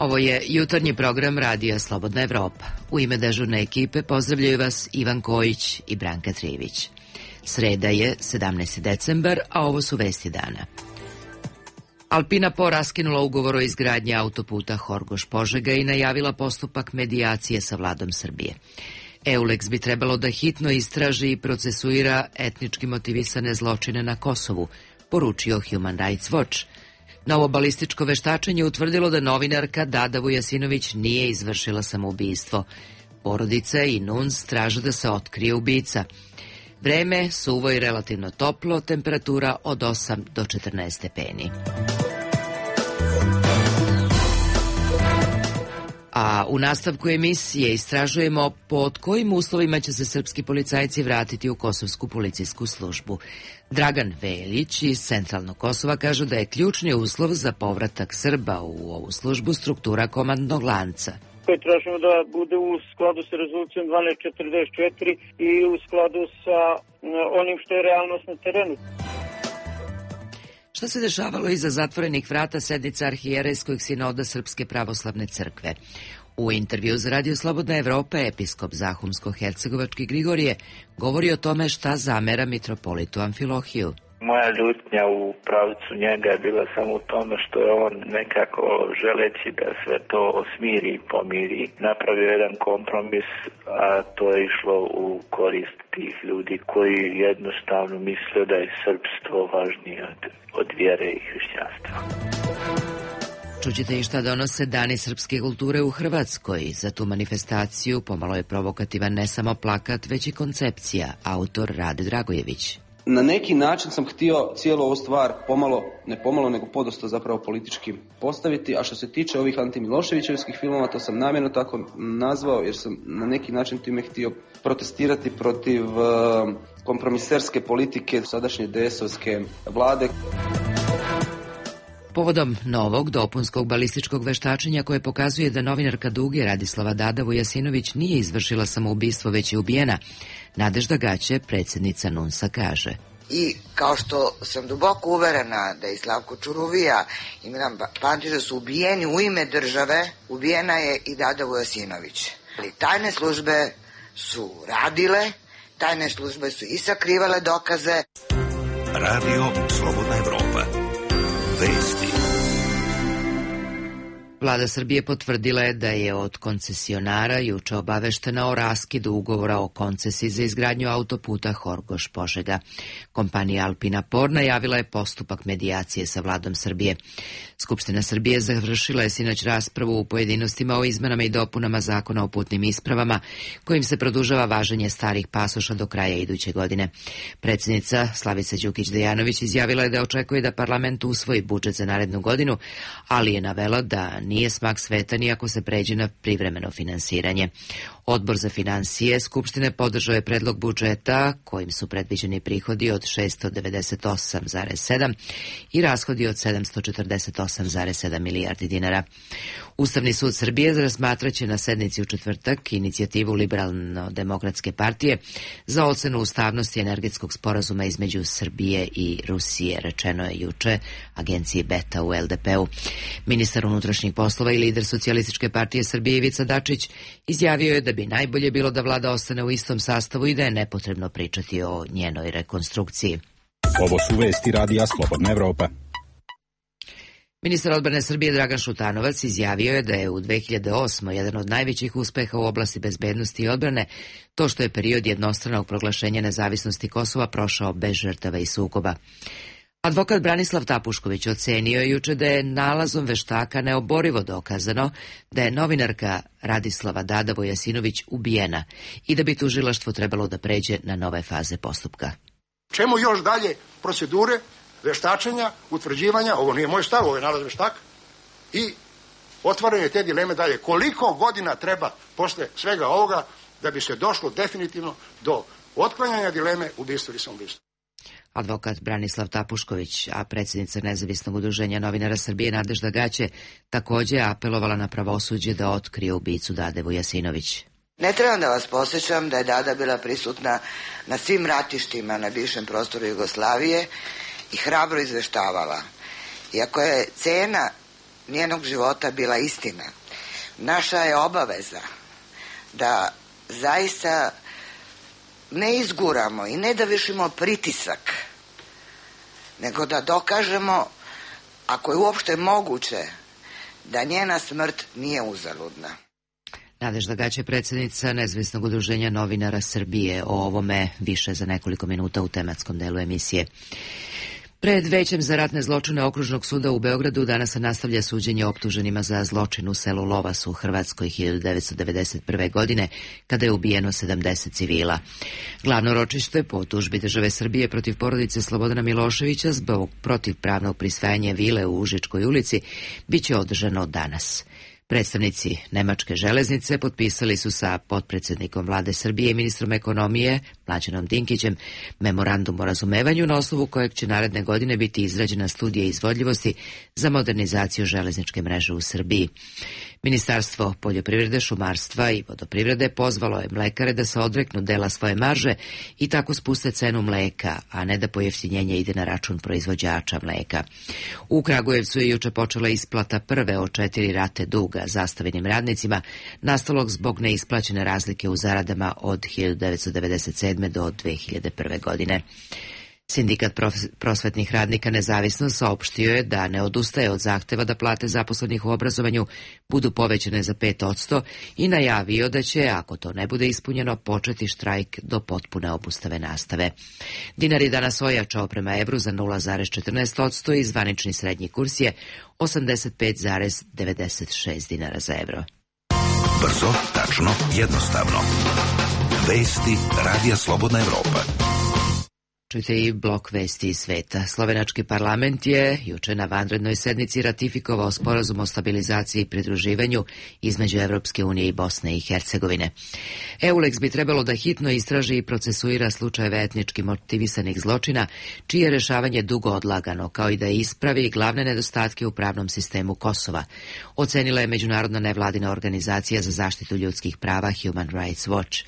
Ovo je jutarnji program Radija Slobodna Evropa. U ime dežurne ekipe pozdravljaju vas Ivan Kojić i Branka Trijević. Sreda je 17. decembar, a ovo su vesti dana. Alpina Po raskinula ugovor o izgradnji autoputa Horgoš-Požega i najavila postupak medijacije sa vladom Srbije. EULEX bi trebalo da hitno istraži i procesuira etnički motivisane zločine na Kosovu, poručio Human Rights Watch. Novo balističko veštačenje utvrdilo da novinarka Dada Vujasinović nije izvršila samoubistvo. Porodica i NUNS traže da se otkrije ubica. Vreme suvo i relativno toplo, temperatura od 8 do 14 stepeni. A u nastavku emisije istražujemo pod kojim uslovima će se srpski policajci vratiti u kosovsku policijsku službu. Dragan Veljić iz Centralnog Kosova kaže da je ključni uslov za povratak Srba u ovu službu struktura komandnog lanca. Tražimo da bude u skladu sa rezolucijom 1244 i u skladu sa onim što je realnost na terenu. Šta se dešavalo iza zatvorenih vrata sednica Arhijerejskog sinoda Srpske pravoslavne crkve? U intervju za Radio Slobodna Evropa episkop Zahumsko-Hercegovački Grigorije govori o tome šta zamera mitropolitu Amfilohiju. Moja ljutnja u pravcu njega je bila samo u tome što je on nekako želeći da sve to smiri i pomiri, napravio jedan kompromis, a to je išlo u korist tih ljudi koji jednostavno misle da je srpstvo važnije od vjere i hrišćanstva. Čućete i šta donose Dani srpske kulture u Hrvatskoj. Za tu manifestaciju pomalo je provokativan ne samo plakat, već i koncepcija, autor Rade Dragojević. Na neki način sam htio cijelu ovu stvar ne pomalo, nego podosta zapravo politički postaviti, a što se tiče ovih antimiloševićevskih filmova, to sam namjerno tako nazvao, jer sam na neki način time htio protestirati protiv kompromiserske politike sadašnje DS-ovske vlade. Povodom novog dopunskog balističkog veštačenja koje pokazuje da novinarka Duge Radislava Dada Vujasinović nije izvršila samoubistvo, već je ubijena, Nadežda Gaće, predsjednica NUNS-a, kaže. I kao što sam duboko uverena da i Slavko Čuruvija i Milan Pantić da su ubijeni u ime države, ubijena je i Dada Vujasinović. Ali tajne službe su radile, tajne službe su i sakrivale dokaze. Radio Slobodna Evropa. Vesti. Vlada Srbije potvrdila je da je od koncesionara juče obaveštena o raskidu ugovora o koncesiji za izgradnju autoputa Horgoš-Požega. Kompanija Alpina Por najavila je postupak medijacije sa vladom Srbije. Skupština Srbije završila je sinoć raspravu u pojedinostima o izmenama i dopunama Zakona o putnim ispravama, kojim se produžava važenje starih pasoša do kraja iduće godine. Predsjednica Slavica Đukić-Dejanović izjavila je da očekuje da parlament usvoji budžet za narednu godinu, ali je navela da nije smak sveta ni ako se pređe na privremeno finansiranje. Odbor za finansije Skupštine podržao je predlog budžeta kojim su predviđeni prihodi od 698,7 i rashodi od 748,7 milijardi dinara. Ustavni sud Srbije razmatraće na sednici u četvrtak inicijativu Liberalno-demokratske partije za ocenu ustavnosti energetskog sporazuma između Srbije i Rusije, rečeno je juče agenciji Beta u LDP-u. Ministar unutrašnjih poslova i lider Socijalističke partije Srbije Ivica Dačić izjavio je da bi najbolje bilo da vlada ostane u istom sastavu i da je nepotrebno pričati o njenoj rekonstrukciji. Ovo su vesti Radija Slobodna Evropa. Ministar odbrane Srbije Dragan Šutanovac izjavio je da je u 2008. jedan od najvećih uspeha u oblasti bezbednosti i odbrane to što je period jednostranog proglašenja nezavisnosti Kosova prošao bez žrtava i sukoba. Advokat Branislav Tapušković ocenio je juče da je nalazom veštaka neoborivo dokazano da je novinarka Radislava Dada Vujasinović ubijena i da bi tužilaštvo trebalo da pređe na nove faze postupka. Čemu još dalje procedure, veštačenja, utvrđivanja, ovo nije moj stav, ovo je nalaz veštaka, i otvaranje te dileme dalje. Koliko godina treba posle svega ovoga da bi se došlo definitivno do otklanjanja dileme ubistva ili samoubistva? Advokat Branislav Tapušković, a predsjednica Nezavisnog udruženja novinara Srbije Nadežda Gaće, također je apelovala na pravosuđe da otkrije ubicu Dade Vujasinović. Ne trebam da vas posjećam da je Dada bila prisutna na svim ratištima na bivšem prostoru Jugoslavije i hrabro izveštavala. Iako je cena njenog života bila istina. Naša je obaveza da zaista ne izguramo i ne da vršimo pritisak, nego da dokažemo, ako je uopšte moguće, da njena smrt nije uzaludna. Nadežda Gaće, predsjednica Nezavisnog udruženja novinara Srbije, o ovome više za nekoliko minuta u tematskom delu emisije. Pred Većem za ratne zločine Okružnog suda u Beogradu danas se nastavlja suđenje optuženima za zločin u selu Lovas u Hrvatskoj 1991. godine, kada je ubijeno 70 civila. Glavno ročište po tužbi države Srbije protiv porodice Slobodana Miloševića zbog protivpravnog prisvajanja vile u Užičkoj ulici biće održano danas. Predstavnici Nemačke železnice potpisali su sa potpredsjednikom vlade Srbije i ministrom ekonomije Mlađanom Dinkićem memorandum o razumevanju, na osnovu kojeg će naredne godine biti izrađena studija izvodljivosti za modernizaciju železničke mreže u Srbiji. Ministarstvo poljoprivrede, šumarstva i vodoprivrede pozvalo je mlekare da se odreknu dela svoje marže i tako spuste cenu mleka, a ne da pojeftinjenje ide na račun proizvođača mleka. U Kragujevcu je juče počela isplata prve od 4 rate duga zastavenim radnicima, nastalog zbog neisplaćene razlike u zaradama od 1997. do 2001. godine. Sindikat prosvetnih radnika Nezavisno saopštio je da ne odustaje od zahteva da plate zaposlenih u obrazovanju budu povećane za 5% i najavio da će, ako to ne bude ispunjeno, početi štrajk do potpune obustave nastave. Dinar je danas ojačao prema evru za 0,14% i zvanični srednji kurs je 85,96 dinara za evro. Brzo, tačno, jednostavno. Vesti Radija Slobodna Evropa. Čujte i blok vesti iz sveta. Slovenački parlament je juče na vanrednoj sednici ratifikovao sporazum o stabilizaciji i pridruživanju između Evropske unije i Bosne i Hercegovine. EULEX bi trebalo da hitno istraži i procesuira slučajeve etnički motivisanih zločina, čije rešavanje dugo odlagano, kao i da ispravi glavne nedostatke u pravnom sistemu Kosova, ocenila je međunarodna nevladina organizacija za zaštitu ljudskih prava Human Rights Watch.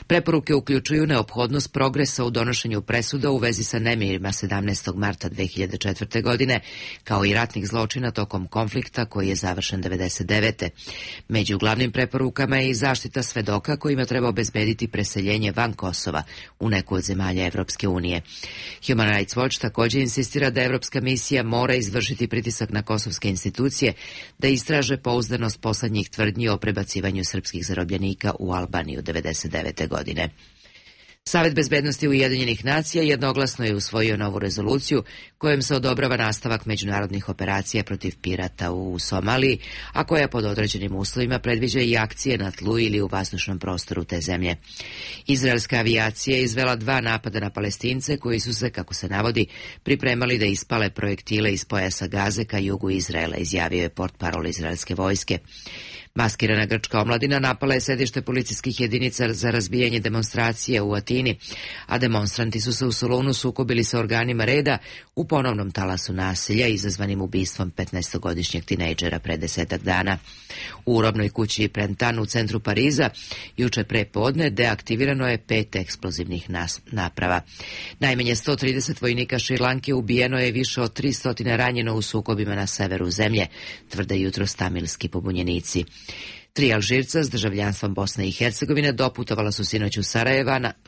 Preporuke uključuju neophodnost progresa u donošenju presuda u vezi sa nemirima 17. marta 2004. godine, kao i ratnih zločina tokom konflikta koji je završen 1999. Među glavnim preporukama je i zaštita svedoka kojima treba obezbediti preseljenje van Kosova u neku od zemalja Evropske unije. Human Rights Watch također insistira da Evropska misija mora izvršiti pritisak na kosovske institucije da istraže pouzdanost poslednjih tvrdnji o prebacivanju srpskih zarobljenika u Albaniju 1999. godine. Savet bezbednosti Ujedinjenih nacija jednoglasno je usvojio novu rezoluciju kojom se odobrava nastavak međunarodnih operacija protiv pirata u Somaliji, a koja pod određenim uslovima predviđa i akcije na tlu ili u vazdušnom prostoru te zemlje. Izraelska avijacija je izvela 2 napada na Palestince koji su se, kako se navodi, pripremali da ispale projektile iz pojasa Gaze ka jugu Izraela, izjavio je portparol izraelske vojske. Maskirana grčka omladina napala je sedište policijskih jedinica za razbijanje demonstracije u Atini, a demonstranti su se u Solunu sukobili sa organima reda u ponovnom talasu nasilja izazvanim ubistvom 15-godišnjeg tinejdžera pre 10 dana. U robnoj kući Prentan u centru Pariza juče pre podne deaktivirano je 5 eksplozivnih naprava. Najmanje 130 vojnika Šrilanke ubijeno je, više od 300 ranjeno u sukobima na severu zemlje, tvrde jutros tamilski pobunjenici. 3 Alžirca s državljanstvom Bosne i Hercegovine doputovala su sinoć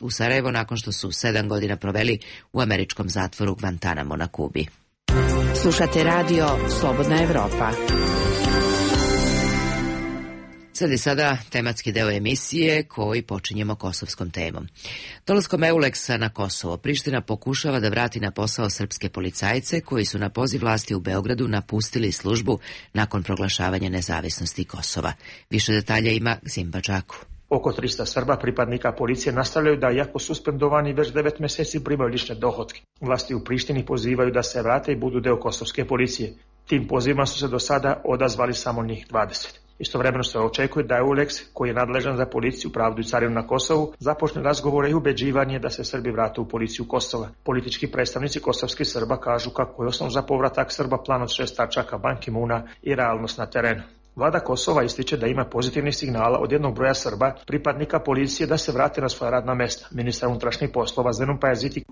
u Sarajevo nakon što su 7 godina proveli u američkom zatvoru Guantanamo na Kubi. Slušate radio Slobodna Evropa. Sada tematski deo emisije koji počinjemo kosovskom temom. Dolaskom EULEX-a na Kosovo, Priština pokušava da vrati na posao srpske policajce koji su na poziv vlasti u Beogradu napustili službu nakon proglašavanja nezavisnosti Kosova. Više detalja ima Gzim Badžaku. Oko 300 Srba pripadnika policije nastavljaju da, iako suspendovani već 9 meseci, primaju lične dohotke. Vlasti u Prištini pozivaju da se vrate i budu deo kosovske policije. Tim pozivima su se do sada odazvali samo njih 20. Istovremeno se očekuje da EULEX, koji je nadležan za policiju, pravdu i carinu na Kosovu, započne razgovore i ubeđivanje da se Srbi vrate u policiju Kosova. Politički predstavnici kosovskih Srba kažu kako je osnov za povratak Srba plan od 6 tačaka Ban Ki-moona i realnost na terenu. Vlada Kosova ističe da ima pozitivnih signala od jednog broja Srba, pripadnika policije, da se vrate na svoja radna mesta. Ministar unutrašnjih poslova Zenon Pajaziti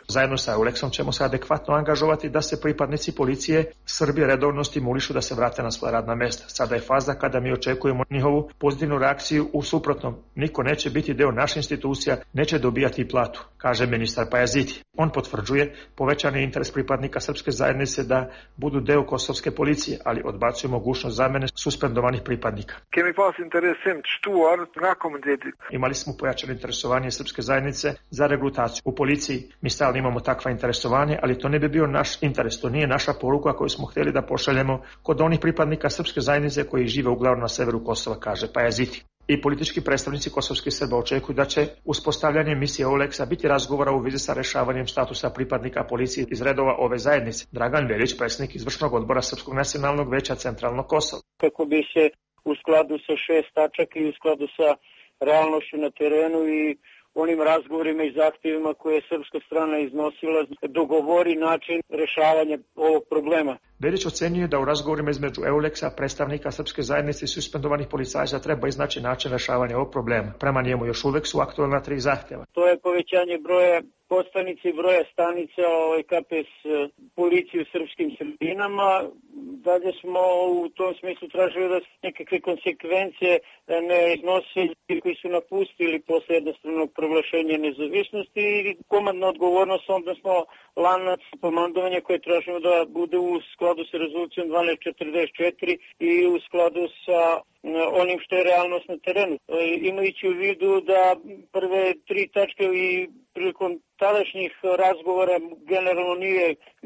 zajedno sa Euleksom ćemo se adekvatno angažovati da se pripadnici policije Srbije redovno stimulišu da se vrate na svoja radna mesta. Sada je faza kada mi očekujemo njihovu pozitivnu reakciju, u suprotnom niko neće biti deo naših institucija, neće dobijati platu, kaže ministar Pajaziti. On potvrđuje povećani interes pripadnika srpske zajednice da budu deo kosovske policije, ali odbacuje mogućnost zamene suspendovanih pripadnika. Imali smo pojačano interesovanje srpske zajednice za regrutaciju u policiji. Mi stalno imamo takva interesovanje, ali to ne bi bio naš interes, to nije naša poruka koju smo htjeli da pošaljemo kod onih pripadnika srpske zajednice koji žive uglavnom na severu Kosova, kaže Pajaziti. I politički predstavnici kosovskih Srba očekuju da će uspostavljanje misije Euleksa biti razgovora u vezi sa rešavanjem statusa pripadnika policije iz redova ove zajednice. Dragan Velić, predsjednik izvršnog odbora Srpskog nacionalnog veća Centralnog Kosova. Kako bi se u skladu sa 6 tačaka i u skladu sa realnošću na terenu i onim razgovorima i zahtjevima koje je srpska strana iznosila, dogovori način rešavanja ovog problema. Velić ocenjuje da u razgovorima između Euleksa, predstavnika srpske zajednice i suspendovanih policajaca treba iznaći način rešavanja ovog problema. Prema njemu još uvek su aktualna 3 zahtjeva. To je povećanje broja postanica i broja stanica KPS policije u srpskim sredinama. Dalje smo u tom smislu tražili da se nekakve konsekvencije ne iznose koji su napustili posle jednostavnog proglašenja nezavisnosti i komandna odgovornost, odnosno lanac komandovanja koje tražimo da bude u skladu sa rezolucijom 1244 i u skladu sa onim što je realnost na terenu. Imajući u vidu da prve 3 tačke i prilikom tadašnjih razgovora generalno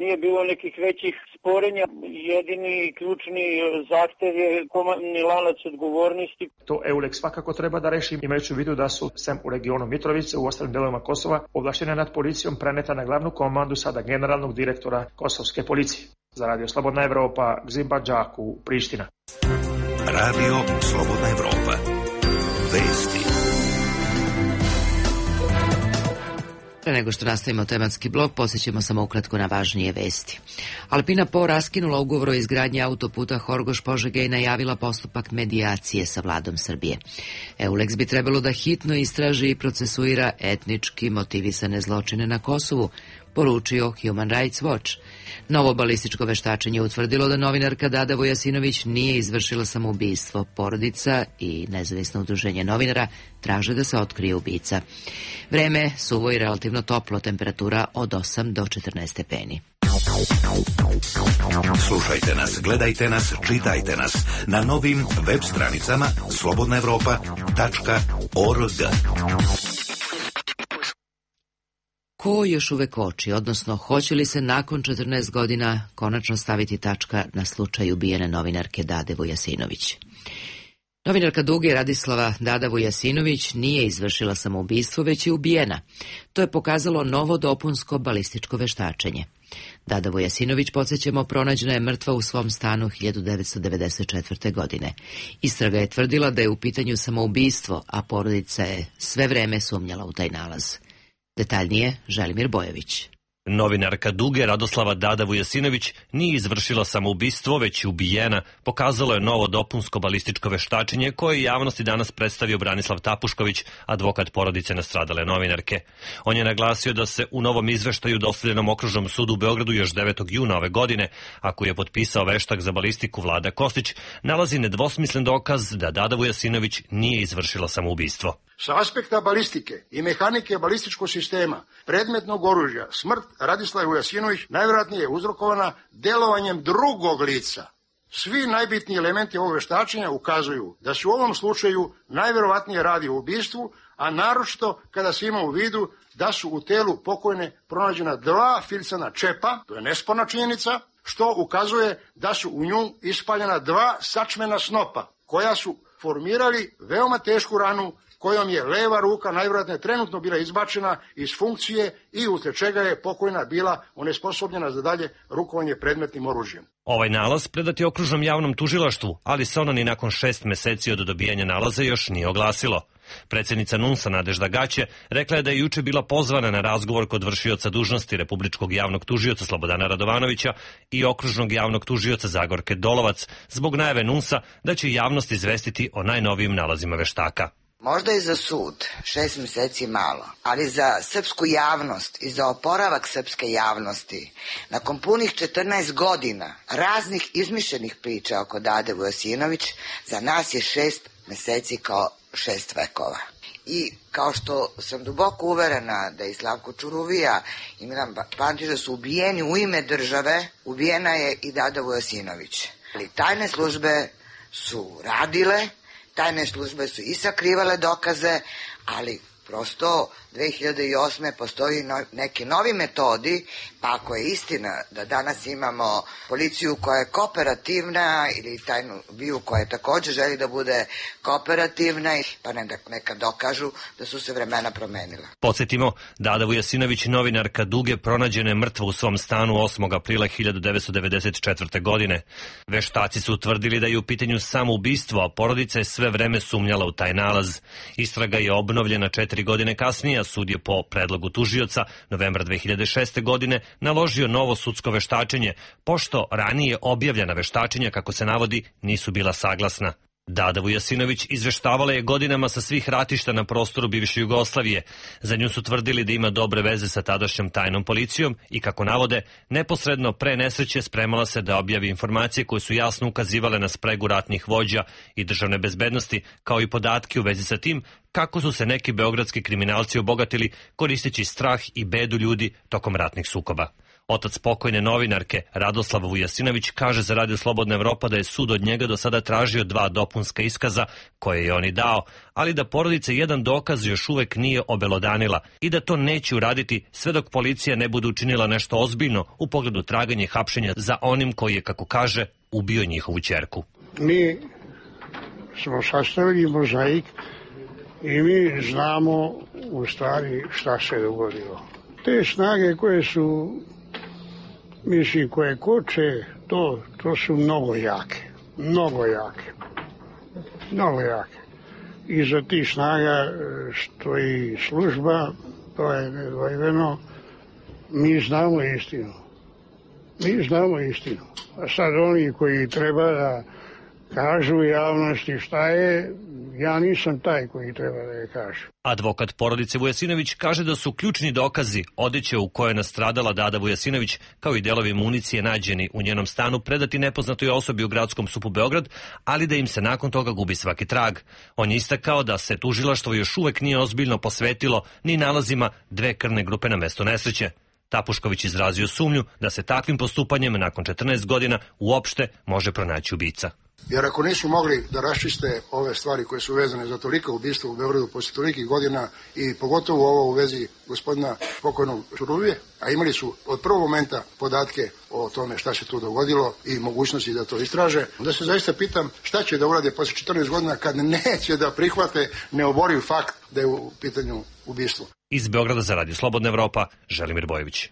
nije bilo nekih većih sporenja. Jedini ključni zahtev je komandni lanac odgovornosti. To Euleks svakako treba da reši, imajući u vidu da su sem u regionu Mitrovice, u ostalim delovima Kosova, ovlašćene nad policijom preneta na glavnu komandu sada generalnog direktora kosovske policije. Za Radio Slobodna Evropa, Gzimba Đaku, Priština. Radio Slobodna Evropa. Vesti. Pre nego što nastavimo tematski blok, posjećemo samo ukratko na važnije vesti. Alpina Po raskinula ugovor o izgradnji autoputa Horgoš-Požega i najavila postupak medijacije sa vladom Srbije. Euleks bi trebalo da hitno istraži i procesuira etnički motivisane zločine na Kosovu, poručio Human Rights Watch. Novo balističko veštačenje utvrdilo da novinarka Dada Vujasinović nije izvršila samoubistvo. Porodica i nezavisno udruženje novinara traže da se otkrije ubica. Vreme suvo i relativno toplo, temperatura od 8 do 14 stepeni. Slušajte nas, gledajte nas, čitajte nas na novim web stranicama slobodnaevropa.org. Ko još uvek koči, odnosno hoće li se nakon 14 godina konačno staviti tačka na slučaj ubijene novinarke Dade Vujasinović? Novinarka Duge Radislava Dada Vujasinović nije izvršila samoubistvo, već je ubijena. To je pokazalo novo dopunsko balističko veštačenje. Dada Vujasinović, podsjećamo, pronađena je mrtva u svom stanu 1994. godine. Istraga je tvrdila da je u pitanju samoubistvo, a porodica je sve vreme sumnjala u taj nalaz. Detaljnije, Želimir Bojević. Novinarka Duge Radoslava Dada Vujasinović nije izvršila samoubistvo, već je ubijena, pokazalo je novo dopunsko balističko veštačenje koje je javnosti danas predstavio Branislav Tapušković, advokat porodice nastradale novinarke. On je naglasio da se u novom izveštaju dostavljenom Okružnom sudu u Beogradu još 9. juna ove godine, a koji je potpisao veštak za balistiku Vlada Kostić, nalazi nedvosmislen dokaz da Dada Vujasinović nije izvršila samoubistvo. Sa aspekta balistike i mehanike balističkog sistema predmetnog oružja, smrt Radislave Vujasinović najvjerojatnije je uzrokovana delovanjem drugog lica. Svi najbitniji elementi ovog veštačenja ukazuju da se u ovom slučaju najvjerojatnije radi o ubistvu, a naročito kada se ima u vidu da su u telu pokojne pronađena 2 filcana čepa, to je nesporna činjenica, što ukazuje da su u nju ispaljena 2 sačmena snopa, koja su formirali veoma tešku ranu kojom je leva ruka najvjerojatnije trenutno bila izbačena iz funkcije i uslijed čega je pokojna bila onesposobljena za dalje rukovanje predmetnim oružjem. Ovaj nalaz predat je okružnom javnom tužilaštvu, ali se ono ni nakon 6 meseci od dobijanja nalaza još nije oglasilo. Predsjednica NUNS-a Nadežda Gaće rekla je da je juče bila pozvana na razgovor kod vršioca dužnosti Republičkog javnog tužioca Slobodana Radovanovića i okružnog javnog tužioca Zagorke Dolovac zbog najave NUNS-a da će javnost izvestiti o najnovijim nalazima veštaka. Možda i za sud 6 meseci malo, ali za srpsku javnost i za oporavak srpske javnosti, nakon punih 14 godina raznih izmišljenih priča oko Dade Vujasinović, za nas je 6 meseci kao 6 vekova. I kao što sam duboko uverena da i Slavko Čuruvija i Milan Pantić da su ubijeni u ime države, ubijena je i Dada Vujasinović. Ali tajne službe su radile, tajne službe su i sakrivale dokaze, ali prosto 2008. postoji neki novi metodi, pa ako je istina da danas imamo policiju koja je kooperativna ili tajnu BIA koja također želi da bude kooperativna, pa neka dokažu da su se vremena promenila. Podsjetimo, Dada Vujasinović, novinarka Duge, pronađena je mrtva u svom stanu 8. aprila 1994. godine. Veštaci su utvrdili da je u pitanju samoubistvo, a porodica je sve vreme sumnjala u taj nalaz. Istraga je obnovljena 4 godine kasnije, a sud je po predlogu tužioca novembra 2006. godine naložio novo sudsko veštačenje, pošto ranije objavljena veštačenja, kako se navodi, nisu bila saglasna. Dada Vujasinović izveštavala je godinama sa svih ratišta na prostoru bivše Jugoslavije. Za nju su tvrdili da ima dobre veze sa tadašnjom tajnom policijom i, kako navode, neposredno pre nesreće spremala se da objavi informacije koje su jasno ukazivale na spregu ratnih vođa i državne bezbednosti, kao i podatke u vezi sa tim kako su se neki beogradski kriminalci obogatili koristeći strah i bedu ljudi tokom ratnih sukoba. Otac pokojne novinarke Radoslav Vujasinović kaže za Radio Slobodna Evropa da je sud od njega do sada tražio 2 dopunska iskaza koje je on i dao, ali da porodica jedan dokaz još uvek nije obelodanila i da to neće uraditi sve dok policija ne bude učinila nešto ozbiljno u pogledu traganja i hapšenja za onim koji je, kako kaže, ubio njihovu ćerku. Mi smo sastavili mozaik i mi znamo u stvari šta se dogodilo. Te snage koje su, mislim, koje koče, to su mnogo jake. Iza tih snaga stoji služba, to je nedvojbeno. Mi znamo istinu. A sad oni koji treba da kažu javnosti šta je, ja nisam taj koji treba da je kaže. Advokat porodice Vujasinović kaže da su ključni dokazi odeće u kojoj je nastradala Dada Vujasinović, kao i delovi municije nađeni u njenom stanu, predati nepoznatoj osobi u gradskom SUP-u Beograd, ali da im se nakon toga gubi svaki trag. On je istakao da se tužilaštvo još uvek nije ozbiljno posvetilo ni nalazima 2 krvne grupe na mesto nesreće. Tapušković izrazio sumnju da se takvim postupanjem nakon 14 godina uopšte može pronaći ubica. Jer ako nisu mogli da raščiste ove stvari koje su vezane za toliko ubistva u Beogradu posle tolikih godina i pogotovo ovo u vezi gospodina pokojnog Čuruvije, a imali su od prvog momenta podatke o tome šta se tu dogodilo i mogućnosti da to istraže, onda se zaista pitam šta će da urade posle 14 godina kad neće da prihvate neoboriv fakt da je u pitanju ubistvo. Iz Beograda za Radio Slobodna Evropa, Želimir Bojović.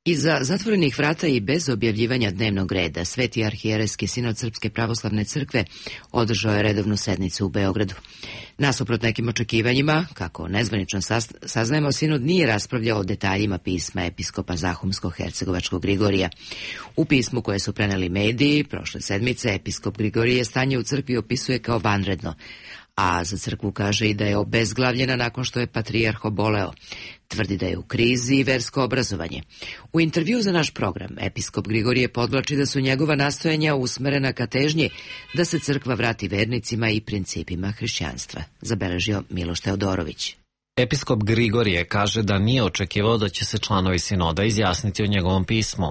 Iza zatvorenih vrata i bez objavljivanja dnevnog reda, Sveti arhijerejski sinod Srpske pravoslavne crkve održao je redovnu sednicu u Beogradu. Nasuprot nekim očekivanjima, kako nezvanično saznajemo, sinod nije raspravljao o detaljima pisma episkopa Zahumsko-hercegovačkog Grigorija. U pismu koje su preneli mediji prošle sedmice, episkop Grigorije stanje u crkvi opisuje kao vanredno, a za crkvu kaže i da je obezglavljena nakon što je patrijarh oboleo. Tvrdi da je u krizi i versko obrazovanje. U intervju za naš program, episkop Grigorije podvlači da su njegova nastojanja usmerena ka težnji da se crkva vrati vernicima i principima hrišćanstva, zabeležio Miloš Teodorović. Episkop Grigorije kaže da nije očekivao da će se članovi sinoda izjasniti o njegovom pismu.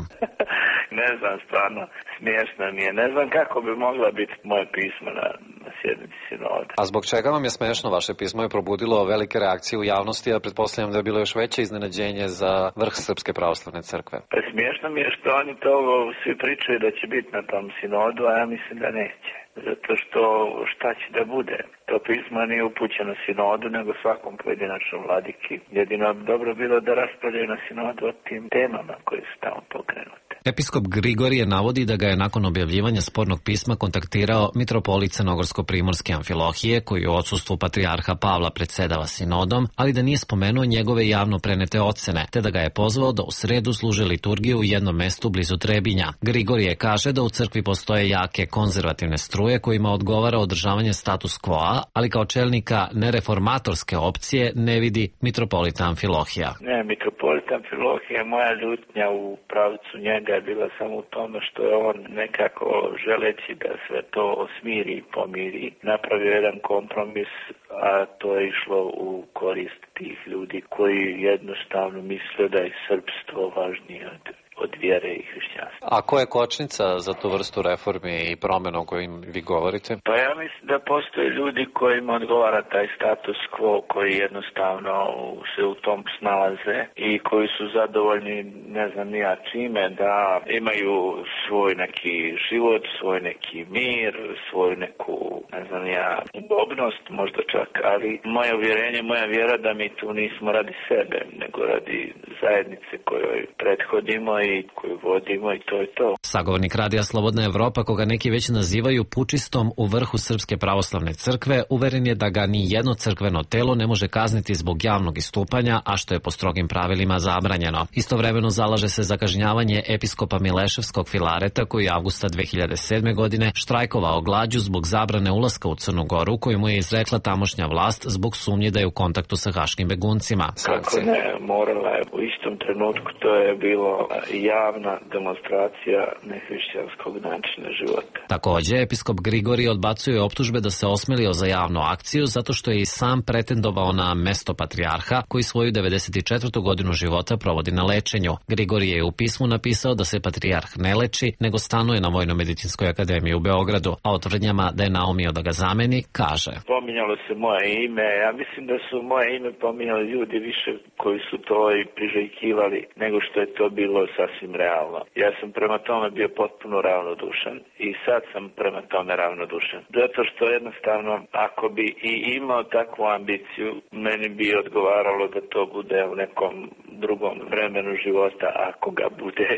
Ne znam, stvarno, smiješno mi je. Ne znam kako bi mogla biti moje pismo na sjednici sinoda. A zbog čega vam je smiješno? Vaše pismo je probudilo velike reakcije u javnosti, a pretpostavljam da je bilo još veće iznenađenje za vrh Srpske pravoslavne crkve. Pa smiješno mi je što oni to svi pričaju da će biti na tom sinodu, a ja mislim da neće. zato što šta će da bude? To pismo nije upućeno sinodu, nego svakom pojedinačnom vladiki. Jedino dobro bilo da raspravljaju na sinodu o tim temama koje su tamo pokrenute. Episkop Grigorije navodi da ga je nakon objavljivanja spornog pisma kontaktirao mitropolit Crnogorsko-primorske Amfilohije, koji u odsustvu patrijarha Pavla predsedava sinodom, ali da nije spomenuo njegove javno prenete ocene, te da ga je pozvao da u sredu služe liturgiju u jednom mestu blizu Trebinja. Grigorije kaže da u crkvi postoje jake konzervativne struje kojima odgovara održavanje status quo, ali kao čelnika nereformatorske opcije ne vidi mitropolita Amfilohija. Ne, mitropolita Amfilohija, moja ljutnja u pravcu njega je bila samo u tome što je on nekako želeći da sve to smiri i pomiri, napravio jedan kompromis, a to je išlo u korist tih ljudi koji jednostavno misle da je srpstvo važnije od vjere i hrišćanstva. A ko je kočnica za tu vrstu reformi i promjena o kojim vi govorite? Pa ja mislim da postoje ljudi kojima odgovara taj status quo, koji jednostavno se u tom snalaze i koji su zadovoljni, ne znam nija čime, da imaju svoj neki život, svoj neki mir, svoju neku, ne znam nija, udobnost možda čak, ali moje uvjerenje, moja vjera da mi tu nismo radi sebe, nego radi zajednice kojoj prethodimo i koju vodimo i to je to. Sagovornik Radija Slobodna Evropa, koga neki već nazivaju pučistom u vrhu Srpske pravoslavne crkve, uveren je da ga ni jedno crkveno telo ne može kazniti zbog javnog istupanja, a što je po strogim pravilima zabranjeno. Istovremeno zalaže se za kažnjavanje episkopa Mileševskog Filareta, koji je avgusta 2007. godine štrajkovao glađu zbog zabrane ulaska u Crnu Goru, koju mu je izrekla tamošnja vlast zbog sumnje da je u kontaktu sa haškim beguncima. Kako ne, morala je u istom trenutku, to je bilo javna demonstracija nehrišćanskog načina života. Takođe, episkop Grigorije odbacuje optužbe da se osmelio za javnu akciju zato što je i sam pretendovao na mesto patrijarha, koji svoju 94. godinu života provodi na lečenju. Grigorije je u pismu napisao da se patrijarh ne leči, nego stanuje na Vojno-medicinskoj akademiji u Beogradu, a o tvrdnjama da je naumio da ga zameni, kaže: Pominjalo se moje ime, ja mislim da su moje ime pominjali ljudi više koji su to i priželjkivali nego što je to bilo sasvim realno. Ja sam prema tome bio potpuno ravnodušan i sad sam prema tome ravnodušan. Zato što jednostavno, ako bi i imao takvu ambiciju, meni bi odgovaralo da to bude u nekom drugom vremenu života, ako ga bude.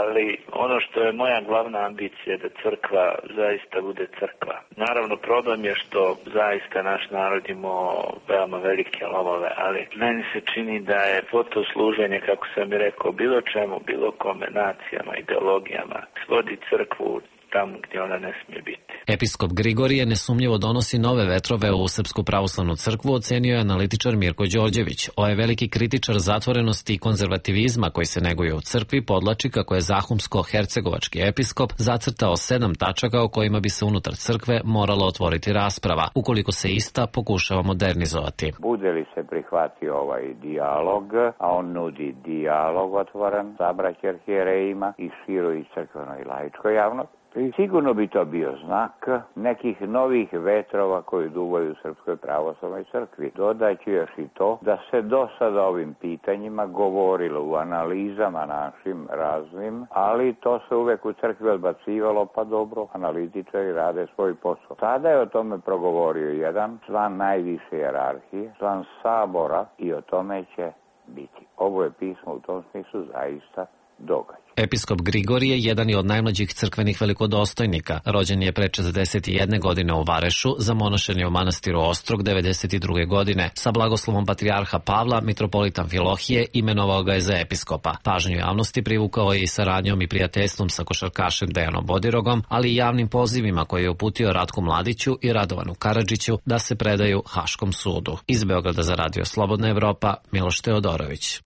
Ali ono što je moja glavna ambicija je da crkva zaista bude crkva. Naravno, problem je što zaista naš narod imao veoma velike lomove, ali meni se čini da je to služenje, kako sam i rekao, bilo čemu, bilo kombinacijama, ideologijama, svodi crkvu tamo gdje ona ne smije biti. Episkop Grigorije nesumnjivo donosi nove vetrove u Srpsku pravoslavnu crkvu, ocenio je analitičar Mirko Đorđević. Ovaj veliki kritičar zatvorenosti i konzervativizma koji se neguje u crkvi podlači kako je zahumsko-hercegovački episkop zacrtao 7 tačaka o kojima bi se unutar crkve morala otvoriti rasprava, ukoliko se ista pokušava modernizovati. Bude li se prihvatio ovaj dijalog, a on nudi dijalog otvoren sa braćom arhijerejima i široj crkvenoj i laičkoj javnosti, i sigurno bi to bio znak nekih novih vetrova koji duvaju u Srpskoj pravoslavnoj crkvi. Dodaću još i to da se do sada ovim pitanjima govorilo u analizama našim raznim, ali to se uvek u crkvi odbacivalo, pa dobro, analitičari rade svoj posao. Sada je o tome progovorio jedan član najviše hijerarhije, član sabora, i o tome će biti. Ovo je pismo u tom smislu zaista događaj. Episkop Grigorije jedan je od najmlađih crkvenih velikodostojnika. Rođen je pre 41 godine u Varešu, zamonašen je u manastiru Ostrog 92. godine. Sa blagoslovom patrijarha Pavla, mitropolita Amfilohije imenovao ga je za episkopa. Pažnju javnosti privukao je i saradnjom i prijateljstvom sa košarkašem Dejanom Bodirogom, ali i javnim pozivima koje je uputio Ratku Mladiću i Radovanu Karadžiću da se predaju Haškom sudu. Iz Beograda za Radio Slobodna Evropa, Miloš Teodorović.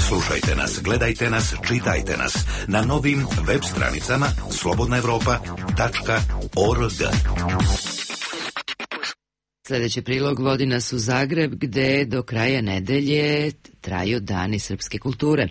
Slušajte nas, gledajte nas, čitajte nas na novim web stranicama slobodnaevropa.org. Sljedeći prilog vodi nas u Zagreb, gde do kraja nedelje traju Dani srpske kulture.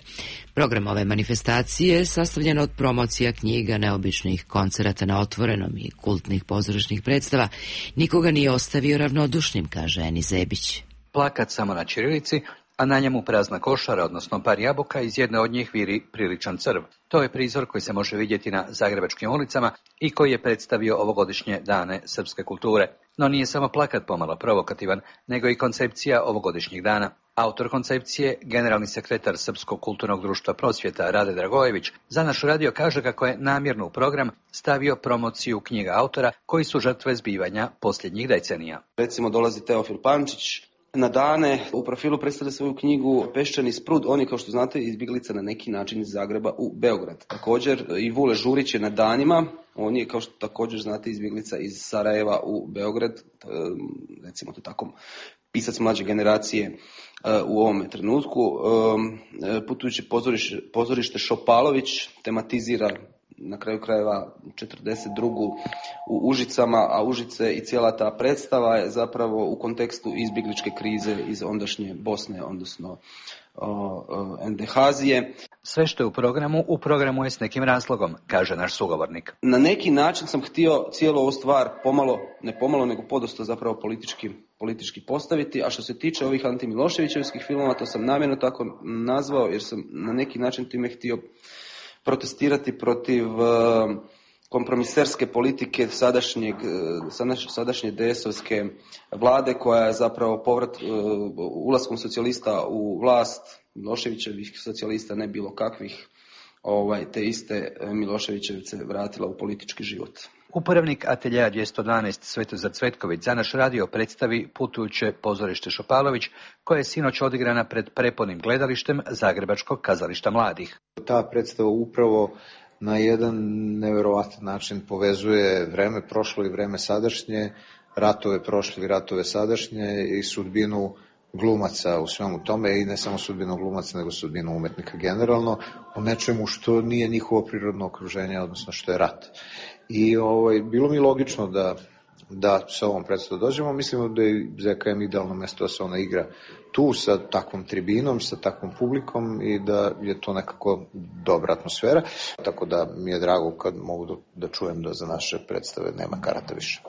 Program ove manifestacije sastavljen od promocija knjiga, neobičnih koncerata na otvorenom i kultnih pozorišnih predstava nikoga nije ostavio ravnodušnim, kaže Eni Zebić. Plakat samo na ćirilici, a na njemu prazna košara, odnosno par jabuka, iz jedne od njih viri priličan crv. To je prizor koji se može vidjeti na zagrebačkim ulicama i koji je predstavio ovogodišnje dane srpske kulture. No nije samo plakat pomalo provokativan, nego i koncepcija ovogodišnjih dana. Autor koncepcije, generalni sekretar Srpskog kulturnog društva Prosvjeta Rade Dragojević, za naš radio kaže kako je namjerno u program stavio promociju knjiga autora koji su žrtve zbivanja posljednjih decenija. Recimo dolazi Teofil Pančić na dane, u profilu predstavlja svoju knjigu Peščani sprud, on je, kao što znate, izbjeglica na neki način iz Zagreba u Beograd. Također i Vule Žurić je na danima, on je, kao što također znate, izbjeglica iz Sarajeva u Beograd, recimo to tako, pisac mlađe generacije u ovome trenutku. Putujući pozorište Šopalović tematizira na kraju krajeva 42. u Užicama, a Užice i cijela ta predstava je zapravo u kontekstu izbjegličke krize iz ondašnje Bosne, odnosno NDH-azije. Sve što je u programu je s nekim razlogom, kaže naš sugovornik. Na neki način sam htio cijelu ovu stvar pomalo, nego podosta zapravo politički postaviti, a što se tiče ovih antimiloševićevskih filmova, to sam namjerno tako nazvao, jer sam na neki način time htio protestirati protiv kompromiserske politike sadašnje DS-ovske vlade, koja je zapravo ulaskom socijalista u vlast, Miloševićevih socijalista, ne bilo kakvih, te iste Miloševićevice vratila u politički život. Upravnik ateljeja 212 Svetozar Cvetković za naš radio predstavi Putujuće pozorište Šopalović, koje je sinoć odigrana pred prepunim gledalištem Zagrebačkog kazališta mladih. Ta predstava upravo na jedan nevjerovatan način povezuje vreme prošlo i vreme sadašnje, ratove prošle i ratove sadašnje i sudbinu glumaca u svemu tome, i ne samo sudbinu glumaca, nego sudbinu umetnika generalno, u nečemu što nije njihovo prirodno okruženje, odnosno što je rat. I bilo mi logično da sa ovom predstavom dođemo. Mislimo da je ZKM idealno mesto da se ona igra tu, sa takvom tribinom, sa takvom publikom, i da je to nekako dobra atmosfera. Tako da mi je drago kad mogu da čujem da za naše predstave nema karata više.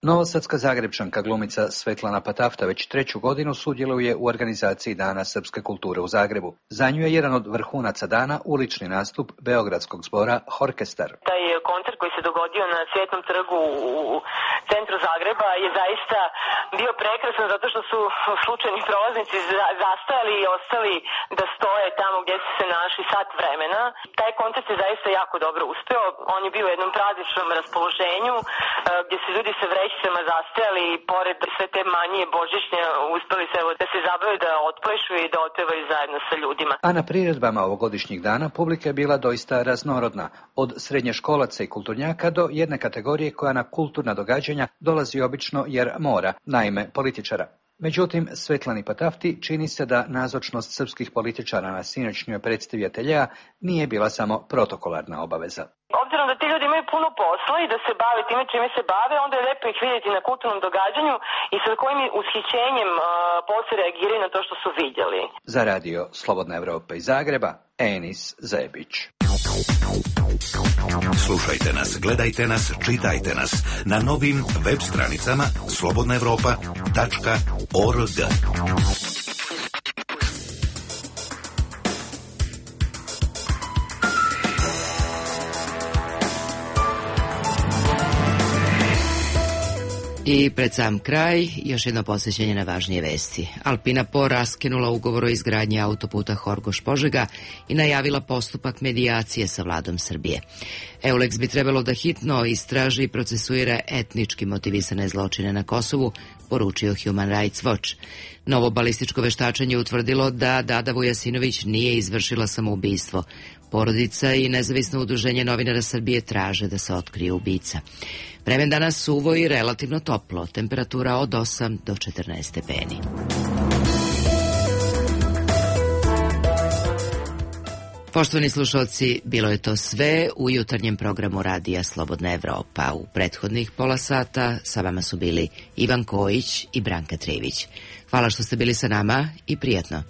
Novosadska Zagrebčanka glumica Svetlana Patafta već 3. godinu sudjeluje u organizaciji Dana srpske kulture u Zagrebu. Za nju je jedan od vrhunaca dana ulični nastup Beogradskog zbora Horkestar. Taj koncert koji se dogodio na Cvjetnom trgu u centru Zagreba je zaista bio prekrasan, zato što su slučajni prolaznici zastajali i ostali da stoje tamo gdje su se našli sat vremena. Taj koncert je zaista jako dobro uspeo. On je bio u jednom prazničnom raspoloženju gdje su ljudi sa vrećicama zastajali i pored sve te manije božićnje uspeli se da se zabave, da otplešu i da otpevaju zajedno sa ljudima. A na priredbama ovogodišnjih dana publika je bila doista raznorodna, od srednjoškolaca i kulturnjaka do jedne kategorije koja na kulturna događanja dolazi obično jer mora, naime političara. Međutim, Svetlani Patafti čini se da nazočnost srpskih političara na sinoćnjoj predstavi ateljeja nije bila samo protokolarna obaveza. Obzirom da ti ljudi imaju puno posla i da se bave time čime se bave, onda je lepo ih vidjeti na kulturnom događanju i sa kojim ushićenjem poslije reagiraju na to što su vidjeli. Za radio Slobodna Evropa iz Zagreba, Enis Zebić. Slušajte nas, gledajte nas, čitajte nas na novim web stranicama slobodnaevropa.org. I pred sam kraj, još jedno posjećenje na važnije vesti. Alpina Po raskinula ugovor o izgradnji autoputa Horgoš-Požega i najavila postupak medijacije sa vladom Srbije. EULEX bi trebalo da hitno istraži i procesuira etnički motivisane zločine na Kosovu, poručio Human Rights Watch. Novo balističko veštačenje utvrdilo da Dada Vujasinović nije izvršila samoubistvo. Porodica i nezavisno udruženje novinara Srbije traže da se otkrije ubica. Vreme danas suvo i relativno toplo, temperatura od 8 do 14 stepeni. Poštovani slušalci, bilo je to sve u jutarnjem programu radija Slobodna Evropa. U prethodnih pola sata sa vama su bili Ivan Kojić i Branka Trević. Hvala što ste bili sa nama i prijatno.